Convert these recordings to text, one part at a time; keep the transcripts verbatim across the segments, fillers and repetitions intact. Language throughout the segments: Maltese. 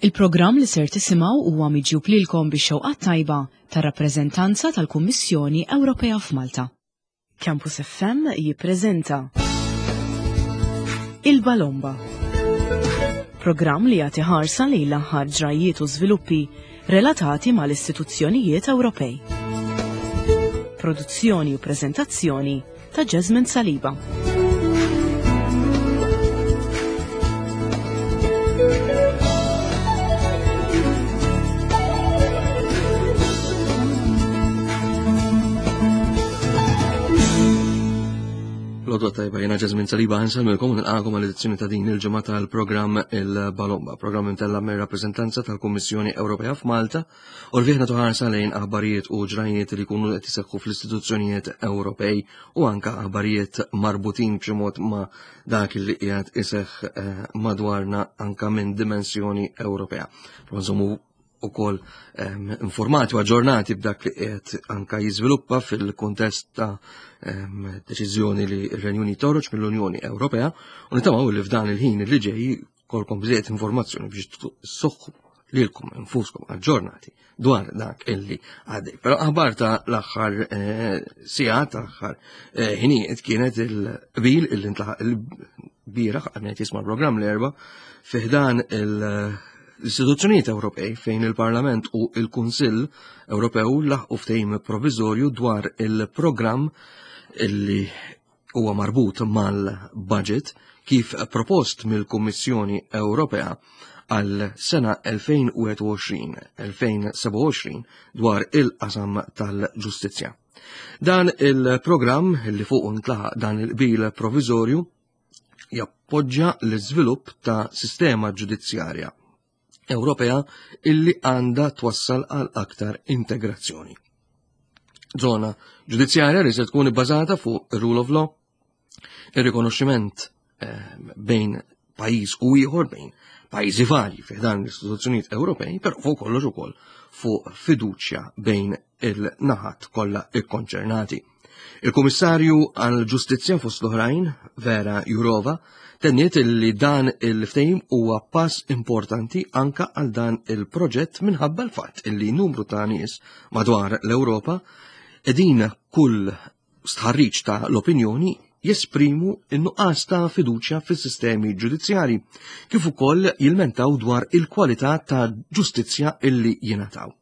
Il-programm li ser tisimgħu huwa miġjub lilkom bix-xewqa tajba tar-rappreżentanza tal-Kummissjoni Ewropea f'Malta. Campus F M jippreżenta Il-Balomba. Programm li jagħti ħarsa lejn l-aħħar ġrajiet u żviluppi relatati mal-istituzzjonijiet Ewropej. Produzzjoni u preżentazzjoni ta' Jasmine Saliba. L-għodwa t-tajba, jiena Jasmine Saliba, nsellmilkom u nilqagħkom għall-edizzjoni ta' din il-ġimgħa tal-programm Il-Balomba, programm imtella' mir-rappreżentanza tal-Kummissjoni Ewropea f'Malta u li fih nagħtu ħarsa lejn aħbarijiet u ġrajiet li jkunu qed iseħħu fl-istituzzjonijiet Ewropej u anka aħbarijiet marbutin b'xi mod ma' dak li qiegħed iseħħ eh, madwarna anka minn dimensjoni Ewropea. Nżommu ukoll ehm, informati u aġġornati b'dak li qiegħed anka jiżviluppa fil-kuntest ta' ehm, deċiżjoni li r-Renju Unit toħroġ mill-Unjoni Ewropea u nitamaw li f'dan il-ħin li ġej kolkom bżejjed informazzjoni biex ssoħħu lilkom infuskom aġġornati dwar dak illi għaddej. Però aħbar ta' l-aħħar eh, sigħat, ta' l-aħħar eh, ħinijiet kienet il-qbil illi ntlaħaq il-bieraħ għal jisma' l-programm l-Erbgħa fi ħdan il- l-istituzzjonijiet Ewropej fejn il-Parlament u il-Kunsill Ewropew laħqu ftehim provviżorju dwar il-programm illi huwa marbut mal-budget kif propost mill-Kummissjoni Ewropea għal sena elfejn u wieħed u għoxrin-elfejn u sebgħa u għoxrin dwar il-qasam tal-ġustizzja. Dan il-programm li fuq ntlaħaq dan il-qbil provviżorju jappoġġa l-iżvilupp ta' sistema ġudizzjarja Ewropea illi għandha twassal għal aktar integrazzjoni. Zona ġudizzjarja li se tkun ibbażata fuq ir-rule of law, ir-rikonoxximent eh, bejn pajjiż u ieħor, bejn pajjiżi varji fi dan l-istituzzjonijiet Ewropej, però fuq kollox ukoll fuq fiduċja bejn il-naħat kollha ikkonċernati. Il-Kummissarju għal-Ġustizzja fost l-oħrajn, Vera Jurova, tenniet li dan il-ftehim huwa pass importanti anka għal dan il-proġett minħabba l-fatt illi numru ta' nies madwar l-Ewropa qegħdin kull stħarriġ ta' l-opinjoni jesprimu n-nuqqas ta' fiduċja fis-sistemi ġudizzjari kif ukoll jilmentaw dwar il-kwalità ta' ġustizzja illi jingħataw.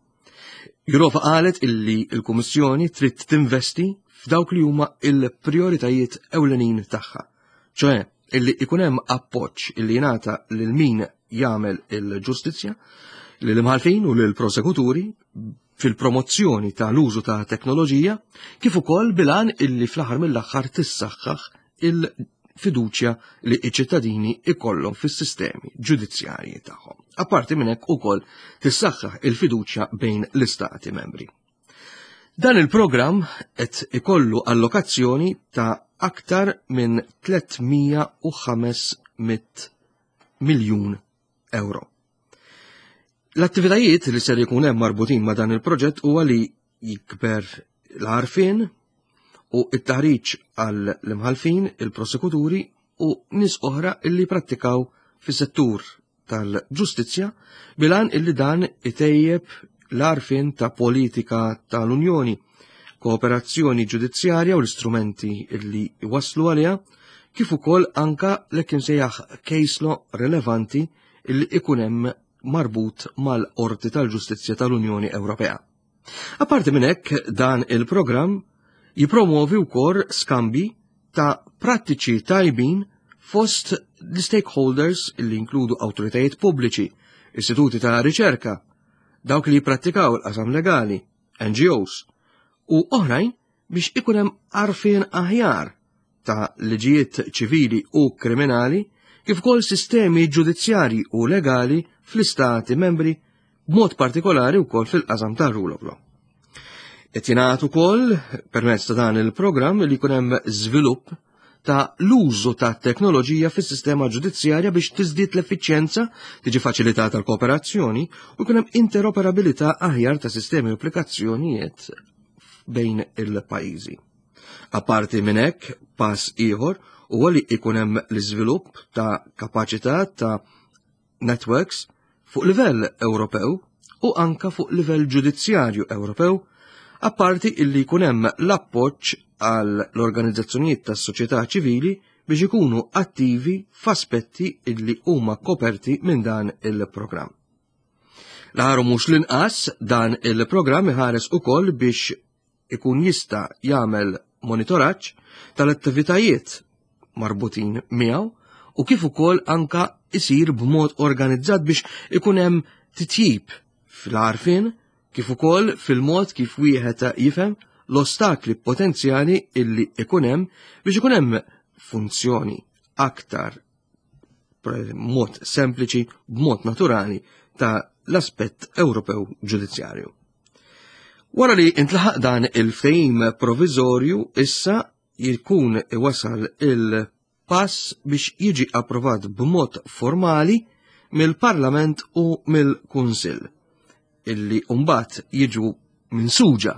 Jurova qalet illi il-Kummissjoni trid tinvesti f'dawk li huma il-prioritajiet ewlenin tagħha, ċoè illi ikun hemm appoġġ illi jingħata lil min jagħmel il-ġustizzja, lil imħalfin u lil prosekuturi fil-promozzjoni tal-użu ta' teknoloġija, kif ukoll bil-għan illi fl-aħħar mill-aħħar tissaħħaħ il-fiduċja li iċ-ċittadini ikollhom fis-sistemi ġudizzjarji tagħhom. Apparti minn hekk ukoll tissaħħaħ il-fiduċja bejn l-istati membri. Dan il-programm qed ikollu allokazzjoni ta' aktar minn tliet mija u ħames mitt miljun euro. L-attivitajiet li ser jkun hemm marbutin ma' dan il-proġett huwa li jikber l-għarfien u it-taħriġ għal l-imħalfin, il-prosekuturi u nies oħra illi prattikaw fis-settur tal-ġustizzja bil-għan illi dan itejjeb l-għarfien ta' politika tal-Unjoni, kooperazzjoni ġudizzjarja u l-istrumenti illi waslu għaliha, kif ukoll anka l-hekk imsejjaħ case law relevanti illi ikun hemm marbut mal-Qorti tal-Ġustizzja tal-Unjoni Ewropea. Apparti minn hekk, dan il-programm jipromovi wkoll skambi ta' prattiċi tajbin fost l-stakeholders li inkludu awtoritajiet pubbliċi, istituti ta' riċerka, dawk li jiprattikaw il-qasam legali, N G Os u oħrajn biex ikun hemm għarfien aħjar ta' liġijiet ċivili u kriminali kif ukoll sistemi ġudizzjarji u legali fl-istati membri, b'mod partikolari wkoll fil-qasam tar-rule of law. Qed jingħad ukoll permezz ta' dan il-programm li jkun hemm żvilupp ta' l-użu ta' teknoloġija fis-sistema ġudizzjarja biex tiżdied l-effiċjenza, tiġi faċilitata l-kooperazzjoni u jkun hemm interoperabilità aħjar ta' sistemi u applikazzjonijiet bejn il-pajjiżi. Apparti minn hekk, pass ieħor huwa li jkun hemm l-iżvilupp ta' kapaċità ta' networks fuq livell Ewropew u anka fuq livell ġudizzjarju Ewropew, apparti illi jkun hemm l-appoġġ għal l-organizzazzjonijiet tas-soċjetà ċivili biex ikunu attivi f'aspetti illi huma koperti minn dan il-programm. L-aħħar mhux l-inqas, dan il-programm iħares ukoll biex ikun jista' jagħmel monitoraġġ tal-attivitajiet marbutin miegħu u kif ukoll anka isir b'mod organizzat biex ikun hemm titjib fl-għarfien kif ukoll fil-mod kif wieħed jifhem l-ostakli potenzjali illi ikun hemm biex ikun hemm funzjoni aktar b'mod sempliċi, b'mod naturali ta' l-aspett Ewropew ġudizzjarju. Wara li intlaħaq dan il-ftehim provizorju, issa jkun iwasal il-pass biex jiġi approvat b'mod formali mill-Parlament u mill-Kunsill, illi mbagħad jiġu minsuġa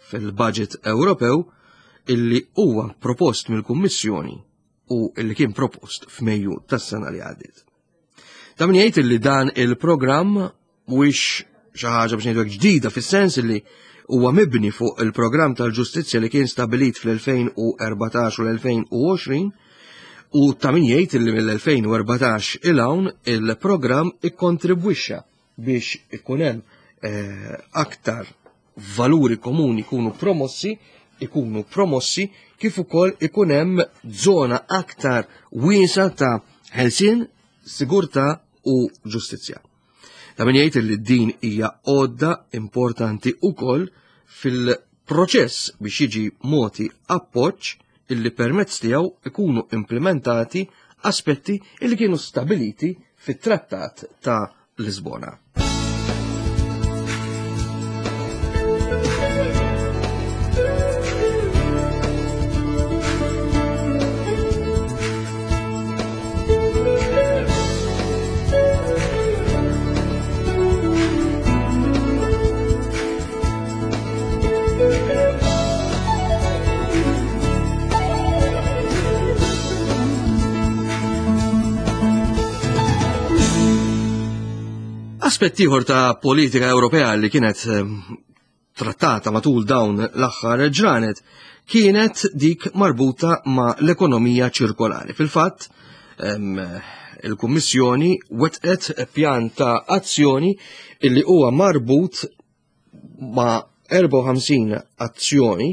fil-budget Ewropew illi huwa propost mill-Kummissjoni u illi kien propost f'Mejju tas-sena li għaddiet. Ta' min jgħid illi dan il-programm mhuwiex xi ħaġa biex ngħidu ġdida fis-sens illi huwa mibni fuq il-programm tal-ġustizzja li kien stabilit fl-elfejn u erbatax u l-elfejn u għoxrin, u ta' min jgħid illi mill-elfejn u erbatax il hawn il-programm ikkontribwixxa biex ikun hemm, eh, aktar valuri komuni jkunu promossi, ikunu promossi kif ukoll ikun hemm żona aktar wiesa ta' ħelsien, sigurtà u ġustizzja. Ta' min jgħid li din hija għodda importanti ukoll fil-proċess biex jiġi moti appoġġ illi permezz tiegħu ikunu implementati aspetti illi kienu stabiliti fit-Trattat ta' Lisbona. Aspett ieħor ta' politika Ewropea li kienet, ehm, trattata matul dawn l-aħħar ġranet kienet dik marbuta ma' l-ekonomija ċirkolari. Fil-fatt, ehm, il-Kummissjoni wetqet pjan ta' azzjoni illi huwa marbut ma' erbgħa u ħamsin azzjoni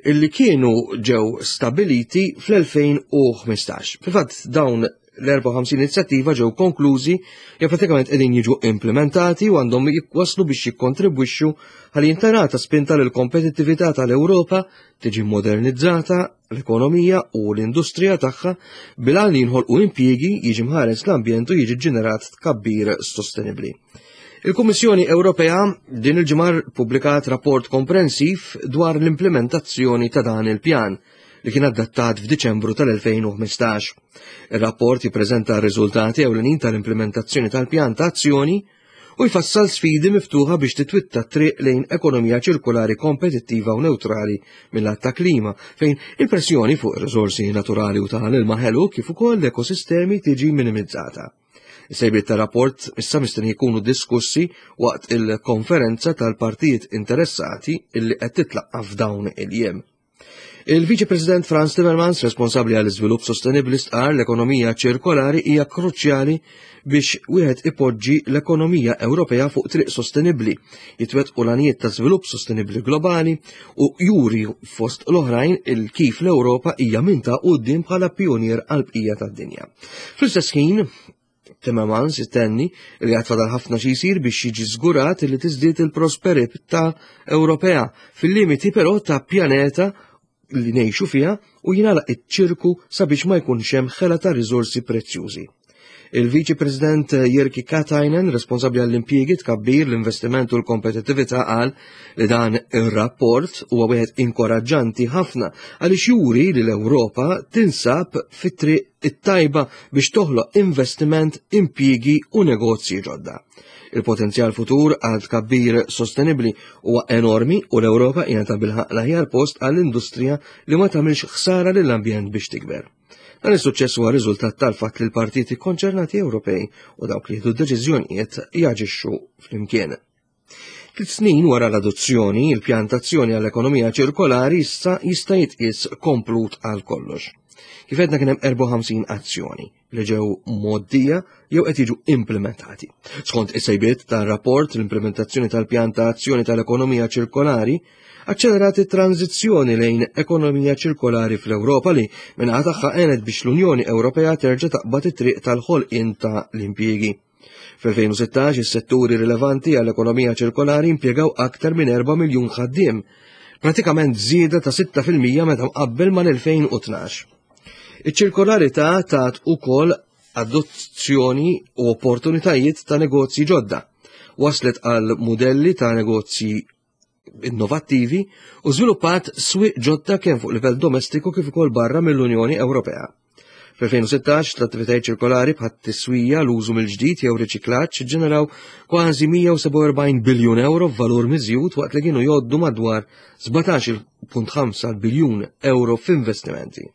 illi kienu ġew stabiliti fl-elfejn u ħmistax. Fil-fatt dawn l-erbgħa u ħamsin inizjattiva ġew konklużi jew pratikament qegħdin jiġu implementati u għandhom waslu biex jikkontribwixxu ħalli jintarata spinta lil kompetittività tal-Ewropa tiġi modernizzata l-ekonomija u l-industrija tagħha bil-għan li jinħolqu impjiegi, jiġi mħares l-ambjent u jiġi ġenerat tkabbir sostenibbli. Il-Kummissjoni Ewropea din il-ġimgħa ppubblikat rapport komprensiv dwar l-implementazzjoni ta' dan il-pjan li kien adattat f'Diċembru tal-elfejn u ħmistax. Ir-rapport jippreżenta r-riżultati ewlenin tal-implementazzjoni tal-pjan ta' azzjoni u jfassal sfidi miftuħa biex titwitta triq lejn ekonomija ċirkolari kompetittiva u neutrali mill-lat ta' klima, fejn il-pressjoni fuq ir-riżorsi naturali u tal-ilma ħelu kif ukoll l-ekosistemi tiġi minimizzata. Is-sejbiet tar-rapport issa mistenni jkunu diskussi waqt il-konferenza tal-partijiet interessati illi qed titlaqqa' f'dawn il-jiem. Il-Viċi President Frans Timmermans, responsabbli għall iżvilupp sostenibbli, stqarr l-ekonomija ċirkolari hija kruċjali biex wieħed ipoġġi l-ekonomija Ewropea fuq triq sostenibbli, jitwettqu l-għanijiet ta' żvilupp sostenibbli globali u juri fost l-oħrajn il kif l-Ewropa hija minn ta' quddiem bħala pionier għall-bqija tad-dinja. Fl-istess ħin, Timmermans itenni li għad fadal ħafna xi jsir biex jiġi żgurat li tiżdied il-prosperità Ewropea fil-limiti però ta' pjaneta li ngħixu fiha u jingħalaq iċ-ċirku sabiex ma jkunx hemm ħela ta' riżorsi prezzjużi. Il-Viċi President Jyrki Katainen, responsabbli għall-impjiegi, tkabbir, l-investiment u l-kompetittività, qal li dan ir-rapport huwa wieħed inkoraġġanti ħafna għaliex juri li l-Ewropa tinsab fit-triq it-tajba biex toħloq investiment, impjiegi u negozji ġodda. Il-potenzjal futur għal tkabbir sostenibbli huwa enormi u l-Ewropa hija ta' bilħaq l-aħjar post għall-industrija li ma tagħmilx ħsara lill-ambjent biex tikber. Dan is-suċċess huwa riżultat tal-fatt li l-partiti konċernati Ewropej u dawk li jieħdu deċiżjonijiet jaġixxu flimkien. Tliet snin wara l-adozzjoni, il-pjan t'azzjoni għall-ekonomija ċirkolari issa jista' jitqies komplut għal kollox. Kif għedna, kien hemm erbgħa u ħamsin azzjoni li ġew mgħoddija jew qed jiġu implementati. Skont is-sejbiet tar-rapport, l-implementazzjoni tal-pjan ta' azzjoni tal-ekonomija ċirkolari aċċelerat it-tranzizzjoni lejn ekonomija ċirkolari fl-Ewropa, li min-naħa tagħha għenet biex l-Unjoni Ewropea terġa' taqbad it-triq tal-ħolqien ta' l-impjiegi. Fl-elfejn u sittax is-setturi rilevanti għall-ekonomija ċirkolari impjegaw aktar minn erba' miljun ħaddiem, pratikament żieda ta' sitta fil-mija meta mqabbel mal-elfejn u tnax. Iċ-ċirkolarità tat ukoll adozzjoni u opportunitajiet ta' negozji ġodda. Waslet għal modelli ta' negozji innovattivi u żviluppat swieq ġodda kemm fuq livell domestiku kif ukoll barra mill-Unjoni Ewropea. Fl-elfejn u sittax l-attivitajiet ċirkolari bħat-tiswija, l-użu mill-ġdid jew riċiklaġġ ġeneraw kważi mija u sebgħa u erbgħin biljun euro f'valur miżjud, waqt li kienu jgħoddu madwar sbatax punt ħamsa biljun euro f'investimenti.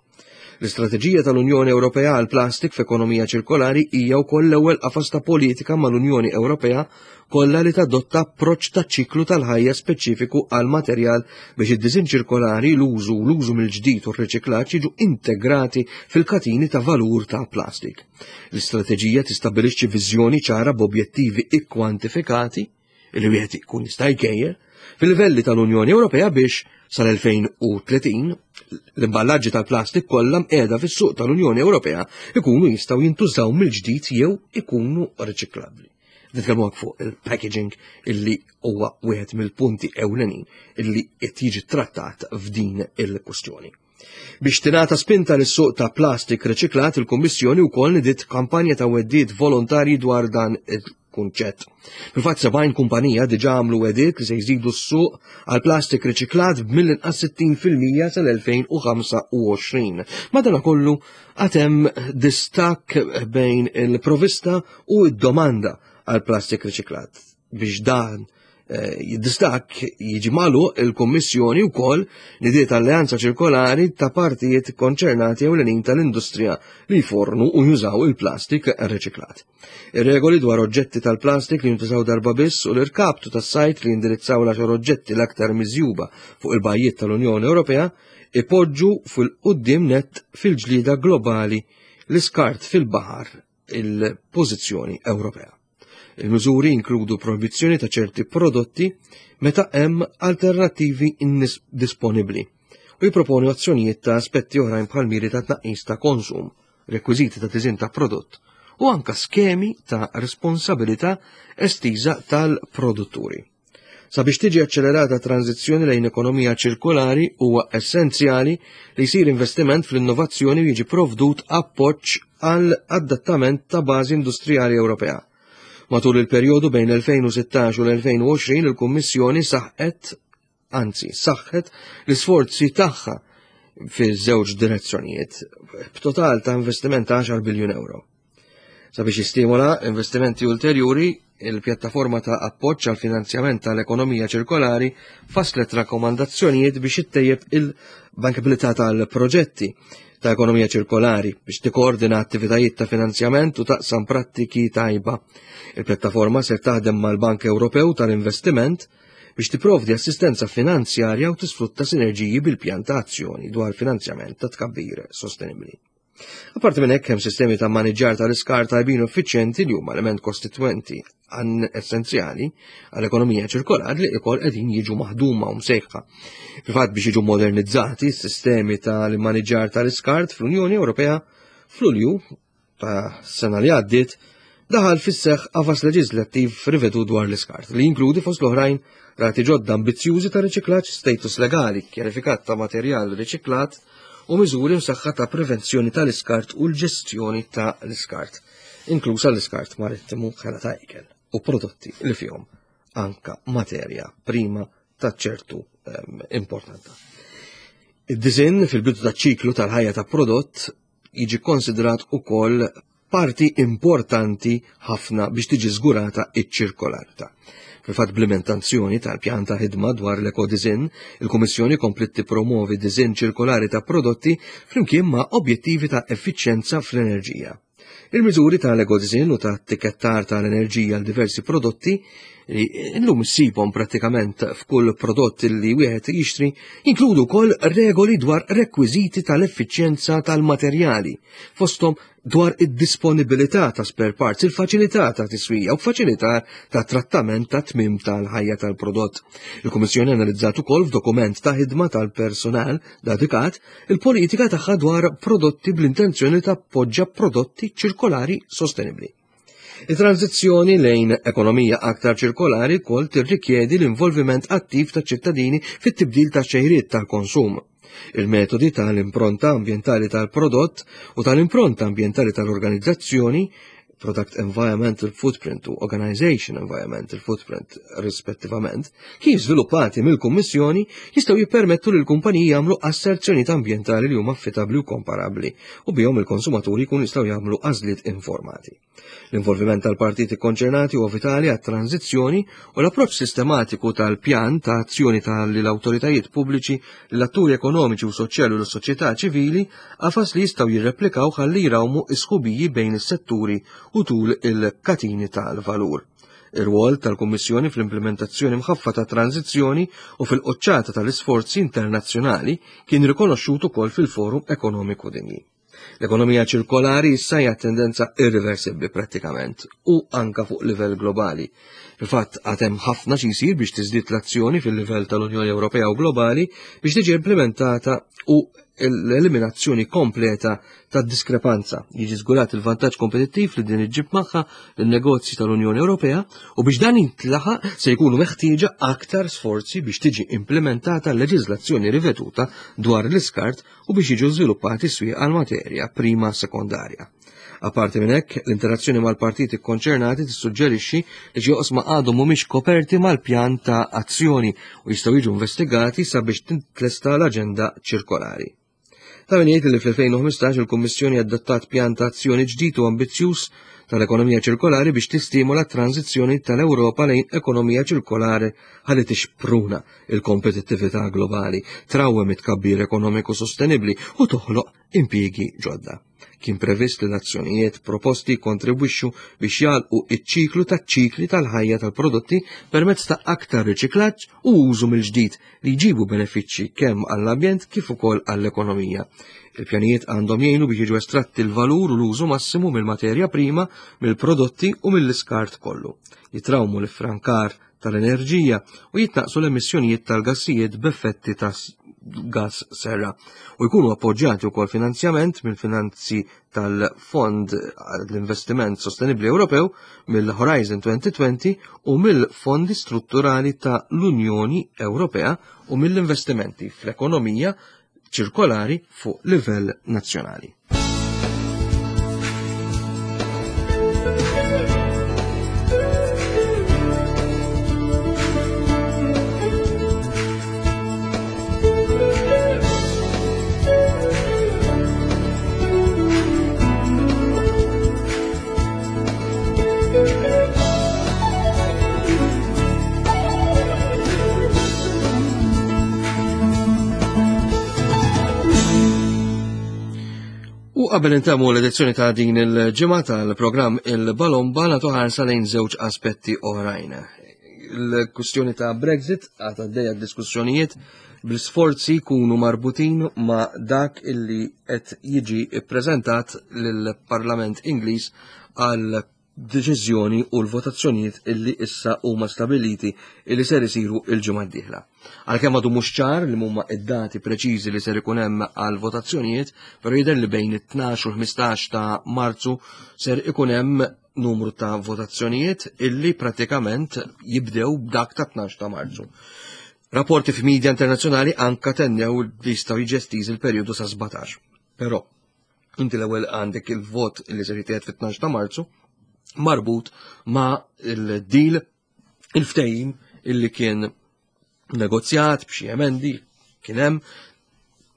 L-istrateġija tal-Unjoni Ewropea għal plastik f'ekonomija ċirkolari hija wkoll l-ewwel qafas ta' politika mal-Unjoni Ewropea kollha li tadotta approċċ ta' ċiklu tal-ħajja speċifiku għal materjal biex id-disin ċirkolari, l-użu u l-użu mill-ġdid u r-riċiklaġġ jiġu integrati fil-katini ta' valur ta' plastik. L-istrateġija tistabbilixxi viżjoni ċara b'objettivi ikkwantifikati li wieħed ikun jista' jkejjel fil-livelli tal-Unjoni Ewropea biex sal-elfejn u tletin l-imballaġġi tal-plastik kollha mqiegħda fis-suq tal-Unjoni Ewropea ikunu jistgħu jintużaw mill-ġdid jew ikunu riċiklabbli. Nitkellmu fuq il-packaging, illi huwa wieħed mill-punti ewlenin illi qed jiġi trattat f'din il-kwestjoni. Biex tingħata spinta lis-suq ta' plastik riċiklat, il-Kummissjoni wkoll nidiet kampanja ta' wegħdiet volontarji dwar dan il-kunċett. Fil-fatt, sebgħin kumpanija diġà għamlu wegħdiet li se jżidu s-suq għal plastik riċiklat b'mill-inqas sittin fil-mija sal-elfejn u ħamsa u għoxrin. Madanakollu, għad hemm distakk bejn il-provista u id-domanda għal plastik riċiklat. Biex dan eh, distakk jiġi magħluq, il-Kommissjoni wkoll nidiet alleanza ċirkolari ta' partijiet konċernati ewlenin tal-industrija li jfornu u jużaw il-plastik riċiklat. Ir-regoli dwar oġġetti tal-plastik li jintużaw darba biss u l-irkaptu tas-sajt li jindirizzaw l-għaxar oġġetti l-aktar miżjuba fuq il-bajjiet tal-Unjoni Ewropea ipoġġu fil-qudiem net fil-ġlida globali l-iskart fil-baħar il-pożizzjoni Ewropea. Il-miżuri inkludu proibizzjoni ta' ċerti prodotti meta hemm alternattivi disponibbli u jiproponu azzjonijiet ta' aspetti oħrajn bħal miri ta' tnaqqis ta' konsum, rekwiżiti ta' tiżin ta' prodott u anka skemi ta' responsabilità estiża tal-produtturi. Sabiex tiġi aċċelerata tranzizzjoni lejn ekonomija ċirkolari, huwa essenzjali li jsir investiment fl-innovazzjoni u jiġi provdut appoġġ għal adattament ta' bażi industrijali Ewropea. Matul il-perjodu bejn l-elfejn u sittax u l-elfejn u għoxrin, il-Kummissjoni saħqet, anzi, saħħet l-isforzi tagħha fi żewġ direzzjonijiet b'total ta' investiment ta' għaxar biljun euro. Sabiex jistimola investimenti ulterjuri, il-pjattaforma ta' appoġġ għal finanzjament tal-ekonomija ċirkolari faslet rakkomandazzjonijiet biex ittejjeb il-bankabilità tal-proġetti ta' ekonomija ċirkolari, biex tikkoordina attivitajiet ta' finanzjament u taqsam prattiki tajba. Il-pjattaforma ser taħdem mal-Bank Ewropew tal-Investiment biex tipprovdi assistenza finanzjarja u tisfrutta sinerġiji bil-pjan ta' azzjoni dwar finanzjament ta' tkabbir sostenibli. Apparti minn hekk, hemm sistemi ta' maniġġar tal-iskart tajbin u effiċjenti li huma element kostitwenti għan essenzjali għall-ekonomija ċirkolari li ikoll qegħdin jiġu maħduma u msejħa. Fil-fatt, biex jiġu modernizzati s-sistemi tal-maniġġar tal-iskart fl-Unjoni Ewropea, f'Lulju ta' sena li għaddiet daħal fis-seħħ qafas leġislattiv rivedut dwar l-iskart li jinkludi, fost l-oħrajn, rati ġodda ambizzjużi ta' riċiklaġġ, status legali kjarifikat ta' materjal riċiklat u miżuri msaħħa ta' prevenzjoni tal-iskart u l-ġestjoni ta' l-iskart, inklusa l-iskart marittimu, ħela ta' ikel u prodotti li fihom anka materja prima ta' ċertu um, importanza. Id-diżinn fil-bidu ta' ċiklu tal-ħajja ta' prodott jiġi konsidrat ukoll parti importanti ħafna biex tiġi żgurata iċ-ċirkolarità. Fil-fatt, bl-implementazzjoni tal-pjan ta' ħidma dwar l-ekodizin, il-Kummissjoni kompliet tippromovi diżinn ċirkolari ta' prodotti flimkien ma' objettivi ta' effiċjenza fl-enerġija. Il-miżuri tal-ekodizin u ta' tikkettar tal-enerġija għal diversi prodotti li illum issibhom prattikament f'kull prodott li wieħed jixtri jinkludu wkoll regoli dwar rekwiżiti tal-effiċjenza tal-materjali, fosthom dwar id-disponibilità ta' spare parts, il-faċilità ta' tiswija u faċilità ta' trattament ta' tmim tal-ħajja tal-prodott. Il-Kummissjoni analizzat ukoll f'dokument ta' ħidma tal-personal dedikat il-politika tagħha dwar prodotti bl-intenzjoni ta' tappoġġa prodotti ċirkolari sostenibbli. Il-tranzizzjoni lejn ekonomija aktar ċirkolari wkoll tirrikjedi l-involviment attiv ta' ċittadini fit-tibdil ta' xejriet tal-konsum. Il-metodi tal-impronta ambientali tal-prodott u tal-impronta ambientali tal-organizzazzjoni, Product Environmental Footprint u Organization Environmental Footprint rispettivament, kif żviluppati mill-Kummissjoni, jistgħu jippermettu lil kumpaniji jagħmlu asserzjonijiet ambjentali li huma affidabbli u komparabbli u bihom il-konsumaturi jkunu jistgħu jagħmlu għażliet informati. L-involviment tal-partiti konċernati huwa vitali għat-tranzizzjoni u l-approċċ sistematiku tal-pjan ta' azzjoni tal-awtoritajiet pubbliċi, l-atturi ekonomiċi u soċjali u l-soċjetà ċivili qafas li jistgħu jirreplikaw ħalli jrawmu isħubiji bejn is-setturi u tul il-katini tal-valur. Ir-rwol tal-Kummissjoni fl-implementazzjoni mħaffa ta' tranzizzjoni u fil-qoċċata tal-isforzi internazzjonali kien rikonoxxut ukoll fil-Forum Ekonomiku Dinji. L-ekonomija ċirkolari issa hija tendenza irreversibbli prattikament u anka fuq livell globali. Fil-fatt, għad hemm ħafna xi jsir biex tiżdied l-azzjoni fil-livell tal-Unjoni Ewropea u globali biex tiġi implementata u l-eliminazzjoni kompleta tad diskrepanza, jiġi żgurat il-vantaġġ kompetittiv li din iġġib magħha lin-negozji tal-Unjoni Ewropea, u biex dan jintlaħaq se jkunu meħtieġa aktar sforzi biex tiġi implementata l-leġiżlazzjoni riveduta dwar l-iskart u biex jiġu żviluppati swieq għal materja prima sekondarja. Apparti minn hekk, l-interazzjoni mal-partiti konċernati tissuġġerixxi li xi oqsma għadhom mhumiex koperti mal-pjan ta' azzjoni u jistgħu jiġu investigati sabiex tintlesta l-aġenda ċirkolari. Ta' min jgħid li fl-elfejn u ħmistax il-Kummissjoni adottat pjan ta' azzjoni ġdid u ambizzjuż tal-ekonomija ċirkolari biex tistimula t-tranzizzjoni tal-Ewropa lejn ekonomija ċirkolari ħalli tixpruna il-kompetittività globali, trawwem it-tkabbir ekonomiku sostenibbli u toħloq impjiegi ġodda. Kien previst li l-azzjonijiet proposti kontribwixxu biex jagħlqu iċ-ċiklu taċ-ċikli tal-ħajja tal-prodotti permezz ta' aktar riċiklaġġ u użu mill-ġdid li jġibu benefiċċji kemm għall-ambjent kif ukoll għall-ekonomija. Il-pjanijiet għandhom jgħinu biex jiġu estratti l-valur u l-użu massimu mill-materja prima, mill-prodotti u mill-iskart kollu. Jitrawmu l-iffrankar tal-enerġija u jitnaqsu l-emissjonijiet tal-gassijiet b'effetti ta' gas serra u jkunu appoġġjati wkoll finanzjament mill-finanzi tal-Fond l-Investiment Sostenibbli Ewropew, mill-Horizon elfejn u għoxrin u mill-Fondi Strutturali ta' l-Unjoni Ewropea u mill-investimenti fl-ekonomija ċirkolari fuq livell nazzjonali. U qabel intemmu l-edizzjoni ta' din il-ġimgħa tal-programm Il-Balomba, nagħtu ħarsa lejn żewġ aspetti oħrajn. Il-kwistjoni ta' Brexit għad għaddejja, diskussjonijiet bl-sforzi jkunu marbutin ma' dak illi qed jiġi ippreżentat lill-Parlament Ingliż għal deċiżjoni u l-votazzjonijiet illi issa huma stabiliti illi ser isiru il-ġimgħa d-dieħla. Għalkemm għadu mhux ċar li huma id-dati preċiżi li ser ikun hemm għal votazzjonijiet, però jidher li bejn it-tnax u l-ħmistax ta' Marzu ser ikun hemm numru ta' votazzjonijiet illi pratikament jibdew b'dak ta' tnax ta' Marzu. Rapporti f'media internazzjonali anka tennew li jistgħu jiġi estiż il-perjodu sa' sbatax. Però inti l-ewwel għandek il-vot li ser jittieħed fit-tnax ta' Marzu marbut ma' il-deal, il-ftehim illi kien negozjat b'xi emendi kien hemm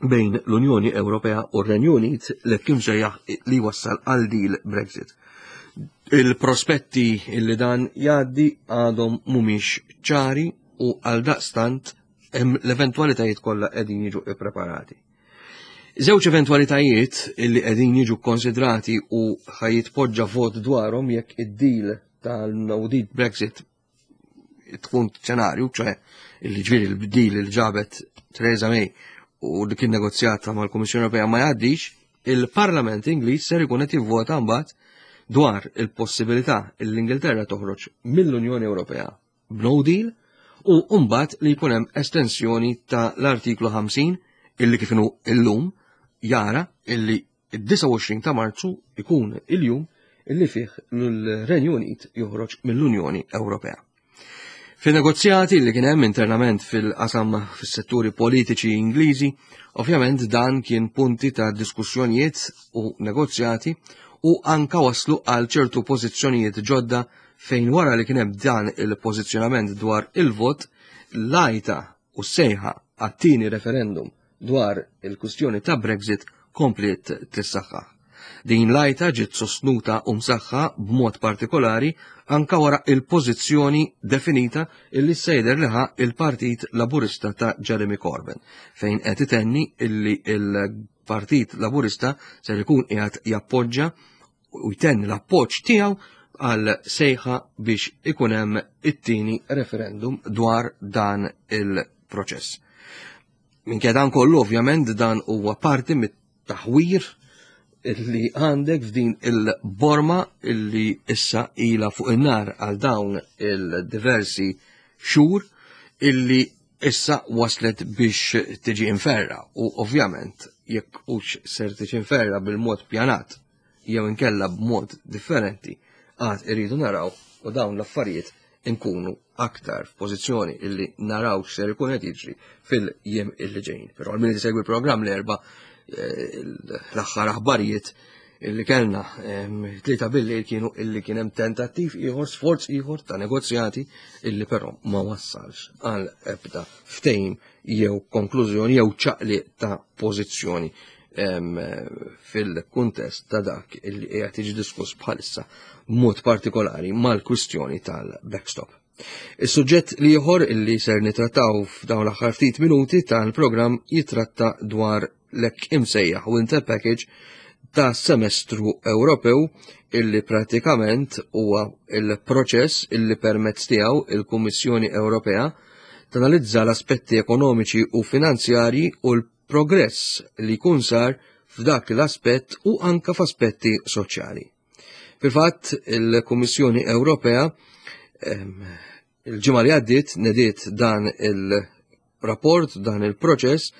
bejn l-Unjoni Ewropea u r-Renju Unit li kien sejjaħ li wassal għal deal Brexit. Il-prospetti illi dan jgħaddi għadhom mhumiex ċari u għal daqstant l-eventwalitajiet kollha qegħdin jiġu ippreparati. Żewġ eventwalitajiet illi qegħdin jiġu konsidrati u ħa jitpoġġa vot dwarhom jekk id-deal tal-no deal Brexit tkun xenarju, ċoè illi ġifieri l-deal li ġabet Theresa May u li kien negozjata mal-Kummissjoni Ewropea ma jgħaddix, il-Parlament Ingliż ser ikun qed jivvota mbagħad dwar il-possibilità li l-Ingilterra toħroġ mill-Unjoni Ewropea b'no deal u mbagħad li jkun hemm estensjoni ta' l-artiklu ħamsin illi kif inhu illum jara illi id-disgħa u għoxrin ta' Marzu ikun il-jum illi fih l-Renju Unit joħroġ mill-Unjoni Ewropea. Fin-negozjati li kien hemm internament fil-qasam fis-setturi politiċi Ingliżi, ovvjament dan kien punti ta' diskussjonijiet u negozjati u anka waslu għal ċertu pożizzjonijiet ġodda fejn wara li kien hemm dan il-pożizzjonament dwar il-vot, l-għajta u sejħa għat-tieni referendum dwar il-kwistjoni ta' Brexit kompliet tissaħħaħ. Din l-għajta ġiet sostnuta u msaħħa b'mod partikolari anka wara il-pożizzjoni definita illi sejder liħa il-Partit Laburista ta' Jeremy Corbyn, fejn qed itenni illi il-Partit Laburista ser ikun qiegħed jappoġġa u jtenni l-appoġġ tiegħu għal sejħa biex ikun hemm it-tieni referendum dwar dan il-proċess. Minkejja dan kollu, ovvjament, dan huwa parti mit-taħwir illi għandek f'din il-borma illi issa ila fuq in-nar għal dawn il-diversi xhur illi issa waslet biex tiġi inferra u ovvjament jekk hux ser tiġi inferra bil-mod pjanat jew inkella b'mod differenti għad irridu naraw u dawn l-affarijiet inkunu aktar f'pożizzjoni illi naraw x'ser ikun qed jiġri fil-jiem illi ġejjin. Però għal min isegwi l-programm l-Erbgħa, eh, l-aħħar aħbarijiet illi kellna tlieta bil-lejl kienu illi kien hemm tentattiv ieħor, sforz ieħor ta' negozjati illi però ma wassalx għal ebda ftehim jew konklużjoni jew ċaqliq ta' pożizzjoni fil-kuntest ta' dak illi qiegħed jiġi diskuss bħalissa b'mod partikolari mal-kwistjoni tal-backstop. Is-suġġett l-ieħor illi ser nitrattaw f'dawn l-aħħar ftit minuti tal-programm jitratta dwar l-hekk imsejjaħ Winter Package ta' semestru Ewropew illi pratikament huwa il-proċess illi permezz tiegħu il-Kummissjoni Ewropea tanalizza l-aspetti ekonomiċi u finanzjarji u l-progress li jkun sar f'dak l-aspett u anka f'aspetti soċjali. Fil-fatt, il-Kummissjoni Ewropea il-ġimgħa li għaddiet nediet dan il-rapport, dan il-proċess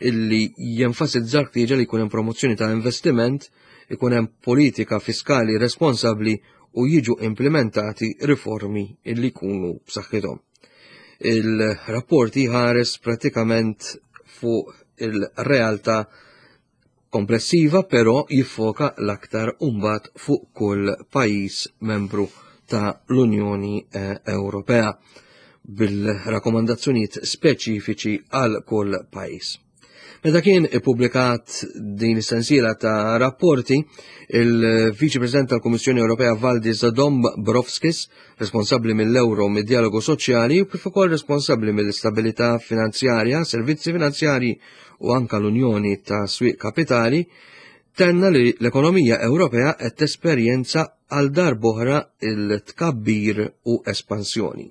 illi jenfasizza l-ħtieġa li jkun hemm promozzjoni ta' investiment, ikun hemm politika fiskali responsabbli u jiġu implementati riformi illi jkunu b'saħħithom. Il-rapport jħares pratikament fuq il-realtà komplessiva, però jiffoka l-aktar umbat fuq kull pajjiż membru ta' l-Unjoni eh, Ewropea bil-rakkomandazzjonijiet speċifiċi għal kull pajjiż. Meta kien ippubblikat din is-sensiela ta' rapporti, il-Viċi President tal-Kummissjoni Ewropea Valdis Dombrovskis, responsabbli mill-Euro mid-dialogu soċjali u kif ukoll responsabbli mill-istabilità finanzjarja, servizzi finanzjarji u anka l-Unjoni ta' Swieq Kapitali, tenna li l-ekonomija Ewropea qed tesperjenza għal darb'oħra il-tkabbir u espansjoni.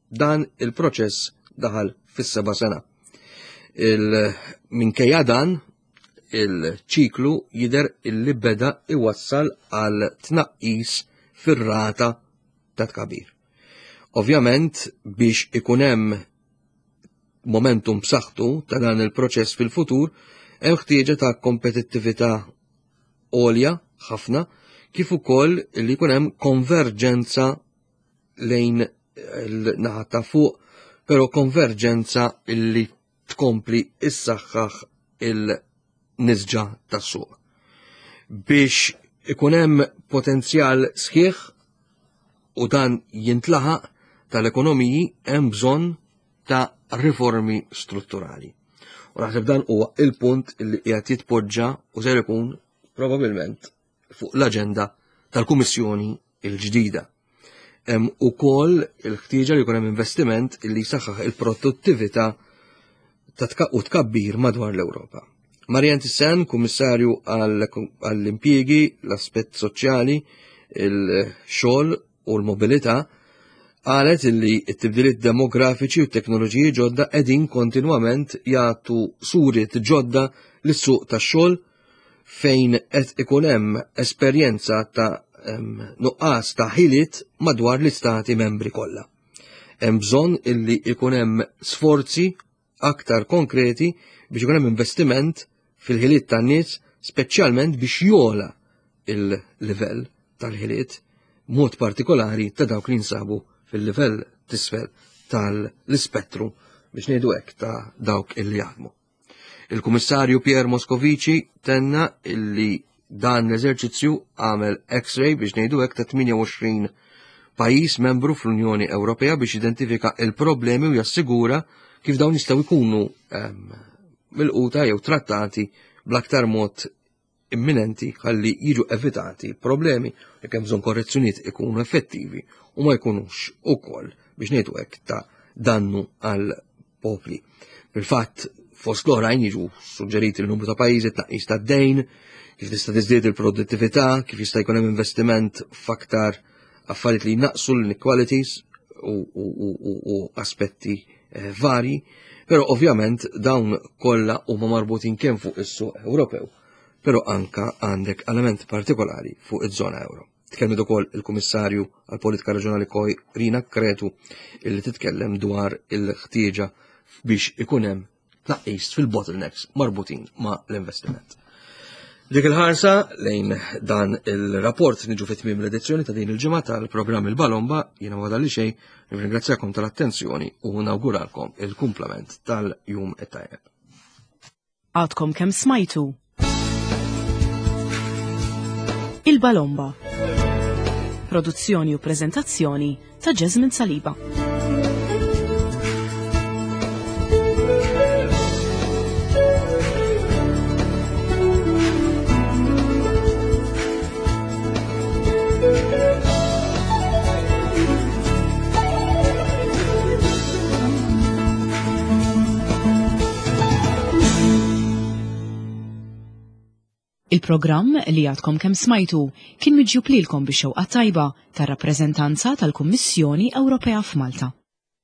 Dan il-proċess daħal fis-seba' sena. Minkejja dan, il-ċiklu jidher illi beda iwassal għal tnaqqis fir-rata ta' tkabbir. Ovvjament, biex ikun hemm momentum b'saħħtu ta' dan il-proċess fil-futur, hemm ħtieġa ta' kompetittività għolja ħafna, kif ukoll li jkun hemm konverġenza lejn il-naħa ta' fuq, però konverġenza illi tkompli issaħħaħ il-nisġa tas-suq. Biex ikun hemm potenzjal sħiħ u dan jintlaħaq tal-ekonomiji hemm bżonn ta' riformi strutturali. U naħseb dan huwa il-punt li qiegħed jitpoġġa u ser ikun probabbilment fuq l-aġenda tal-Kummissjoni l-ġdida. Hemm ukoll il-ħtieġa li jkun hemm investiment li jsaħħaħ il-produttività ta' u tkabbir madwar l-Ewropa. Marianne Thyssen, Kummissarju għall-impjiegi, l-aspett soċjali, il-xogħol u l-mobilità, qalet illi t-tibdiliet demografiċi u t-teknoloġiji ġodda qegħdin kontinwament jagħtu suriet ġodda lis-suq tax-xogħol fejn qed ikun hemm esperjenza ta' nuqqas ta' ħiliet madwar l-istati membri kollha. Hemm bżonn illi ikun hemm sforzi aktar konkreti biex ikun hemm investiment fil-ħiliet tan-nies, speċjalment biex jola il-livell tal-ħiliet, mod partikolari ta' dawk li jinsabu fil-livell t'isfel tal-ispettru biex ngħidu hekk ta' dawk illi jaħdmu. Il-Kummissarju Pierre Moscovici tenna illi dan l-eżerċizzju għamel X-ray biex ngħidu hekk ta' tmienja u għoxrin pajjiż membru fl-Unjoni Ewropea biex identifika il-problemi u jassigura kif dawn jistgħu jkunu milquta jew trattati bl-aktar mod imminenti ħalli jiġu evitati problemi, jekk hemm bżonn korrezzjonijiet ikunu effettivi u ma jkunux ukoll biex ngħidu hekk ta' dannu għal popli. Fil-fatt, fost l-oħrajn jiġu suġġeriti l-numru ta' pajjiżi, tnaqqis ta' dejn, kif tista' tiżdied il-produttività, kif jista' jkun hemm investiment f'aktar affarijiet li jnaqsu l-inequalities u, u, u, u aspetti eh, vari, però ovvjament dawn kollha huma marbutin kemm fuq is-suq Ewropew, però anka għandek element partikolari fuq iż-żona euro. Tkellmet ukoll il-Kummissarju għall-Politika Reġjonali Corina Cretu, illi titkellem dwar il-ħtieġa biex ikun hemm tnaqqis fil-bottlenecks marbutin ma' l-investiment. Dik il-ħarsa lejn dan il-rapport niġu fit tmiem l-edizzjoni ta' din il-ġimgħa tal-programm Il-Balomba. Jiena ma li xejn, nirringrazzjakom tal-attenzjoni u nawguralkom il-kumplament tal-jum it-tajjeb. Għadkom kemm smajtu Il-Balomba. Produzzjoni u prezentazzjoni ta' Jasmine Saliba. Il-programm li għadkom kemm smajtu kien miġjub lilkom bix-xewqa tajba tar-rappreżentanza tal-Kummissjoni Ewropea f'Malta.